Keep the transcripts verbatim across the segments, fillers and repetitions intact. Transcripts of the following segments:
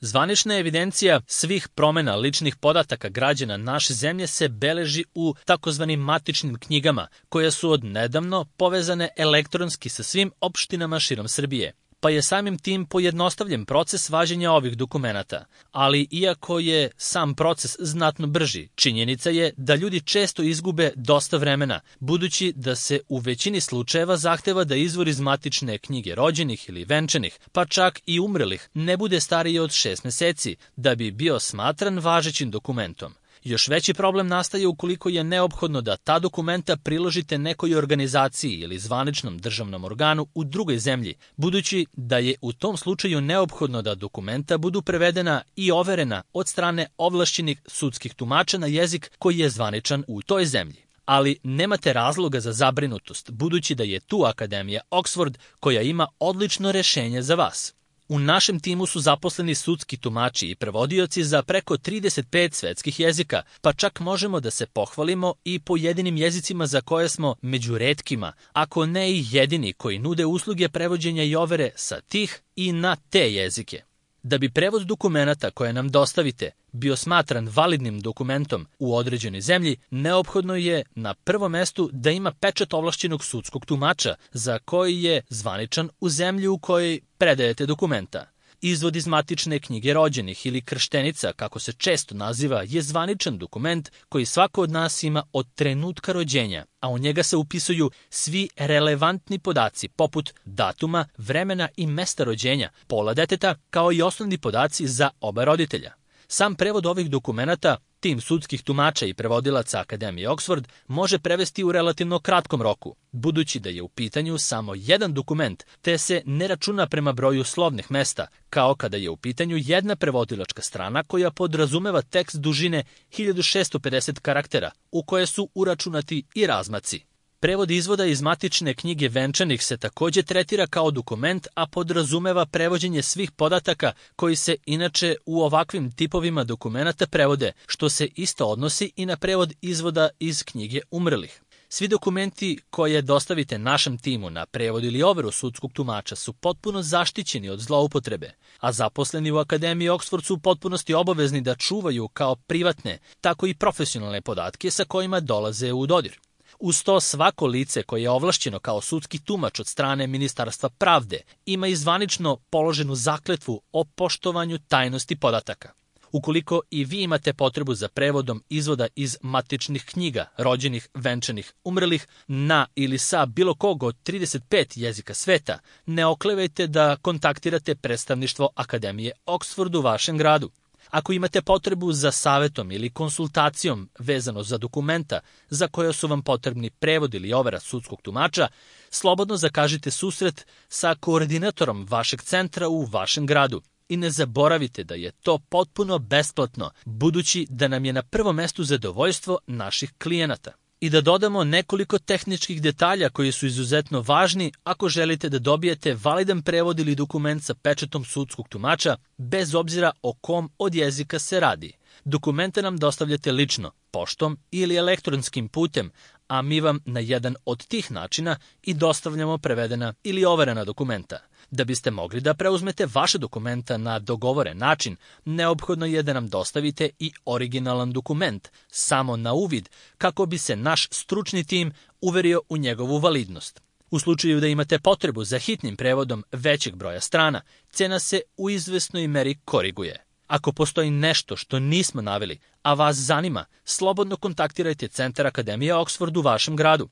Zvanična evidencija svih promjena ličnih podataka građana naše zemlje se beleži u takozvanim matičnim knjigama, koje su odnedavno povezane elektronski sa svim opštinama širom Srbije, pa je samim tim pojednostavljen proces važenja ovih dokumenata. Ali iako je sam proces znatno brži, činjenica je da ljudi često izgube dosta vremena, budući da se u većini slučajeva zahteva da izvor iz matične knjige rođenih ili venčanih, pa čak i umrlih, ne bude stariji od šest meseci, da bi bio smatran važećim dokumentom. Još veći problem nastaje ukoliko je neophodno da ta dokumenta priložite nekoj organizaciji ili zvaničnom državnom organu u drugoj zemlji, budući da je u tom slučaju neophodno da dokumenta budu prevedena i overena od strane ovlašćenih sudskih tumača na jezik koji je zvaničan u toj zemlji. Ali nemate razloga za zabrinutost, budući da je tu Akademija Oxford koja ima odlično rešenje za vas. U našem timu su zaposleni sudski tumači i prevodioci za preko trideset pet svetskih jezika, pa čak možemo da se pohvalimo i pojedinim jezicima za koje smo među retkima, ako ne i jedini koji nude usluge prevođenja i overe sa tih i na te jezike. Da bi prevod dokumenata koje nam dostavite bio smatran validnim dokumentom u određenoj zemlji, neophodno je na prvom mestu da ima pečat ovlašćenog sudskog tumača za koji je zvaničan u zemlji u kojoj predajete dokumenta. Izvod iz matične knjige rođenih ili krštenica, kako se često naziva, je zvaničan dokument koji svako od nas ima od trenutka rođenja, a u njega se upisuju svi relevantni podaci poput datuma, vremena i mesta rođenja, pola deteta, kao i osnovni podaci za oba roditelja. Sam prevod ovih dokumenata tim sudskih tumača i prevodilaca Akademije Oxford može prevesti u relativno kratkom roku, budući da je u pitanju samo jedan dokument, te se ne računa prema broju slovnih mesta, kao kada je u pitanju jedna prevodilačka strana koja podrazumeva tekst dužine hiljadu šessto pedeset karaktera, u koje su uračunati i razmaci. Prevod izvoda iz matične knjige venčanih se takođe tretira kao dokument, a podrazumeva prevođenje svih podataka koji se inače u ovakvim tipovima dokumenata prevode, što se isto odnosi i na prevod izvoda iz knjige umrlih. Svi dokumenti koje dostavite našem timu na prevod ili overu sudskog tumača su potpuno zaštićeni od zloupotrebe, a zaposleni u Akademiji Oxford su u potpunosti obavezni da čuvaju kao privatne, tako i profesionalne podatke sa kojima dolaze u dodir. Uz to svako lice koje je ovlašćeno kao sudski tumač od strane Ministarstva pravde ima i zvanično položenu zakletvu o poštovanju tajnosti podataka. Ukoliko i vi imate potrebu za prevodom izvoda iz matičnih knjiga, rođenih, venčanih, umrlih, na ili sa bilo kog od trideset pet jezika sveta, ne oklevajte da kontaktirate predstavništvo Akademije Oxford u vašem gradu. Ako imate potrebu za savetom ili konsultacijom vezano za dokumenta za koje su vam potrebni prevod ili overa sudskog tumača, slobodno zakažite susret sa koordinatorom vašeg centra u vašem gradu. I ne zaboravite da je to potpuno besplatno, budući da nam je na prvom mestu zadovoljstvo naših klijenata. I da dodamo nekoliko tehničkih detalja koji su izuzetno važni ako želite da dobijete validan prevod ili dokument sa pečatom sudskog tumača, bez obzira o kom od jezika se radi. Dokumente nam dostavljate lično, poštom ili elektronskim putem, a mi vam na jedan od tih načina i dostavljamo prevedena ili overena dokumenta. Da biste mogli da preuzmete vaše dokumenta na dogovoren način, neophodno je da nam dostavite i originalan dokument, samo na uvid, kako bi se naš stručni tim uverio u njegovu validnost. U slučaju da imate potrebu za hitnim prevodom većeg broja strana, cena se u izvesnoj meri koriguje. Ako postoji nešto što nismo naveli, a vas zanima, slobodno kontaktirajte Centar Akademije Oxford u vašem gradu.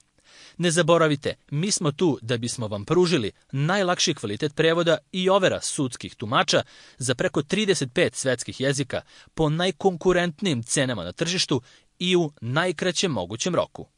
Ne zaboravite, mi smo tu da bismo vam pružili najlakši kvalitet prevoda i overa sudskih tumača za preko trideset pet svetskih jezika po najkonkurentnijim cenama na tržištu i u najkraćem mogućem roku.